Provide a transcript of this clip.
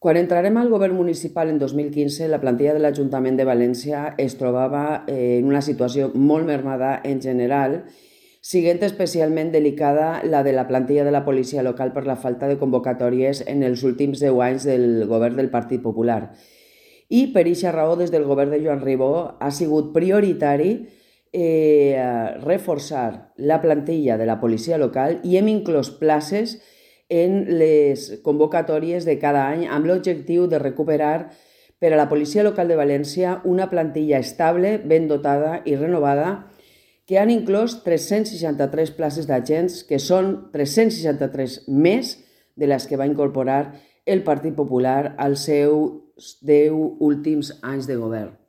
Quan entrarem al govern municipal en 2015, la plantilla de l'Ajuntament de València es trobava en una situació molt mermada en general, sent especialment delicada la de la plantilla de la policia local per la falta de convocatòries en els últims 10 anys del govern del Partit Popular. I per aquesta raó, des del govern de Joan Ribó, ha sigut prioritari reforçar la plantilla de la policia local i hem inclòs places en les convocatòries de cada any amb l'objectiu de recuperar per a la Policia Local de València una plantilla estable, ben dotada i renovada, que han inclòs 363 places d'agents, que són 363 més de les que va incorporar el Partit Popular als seus 10 últims anys de govern.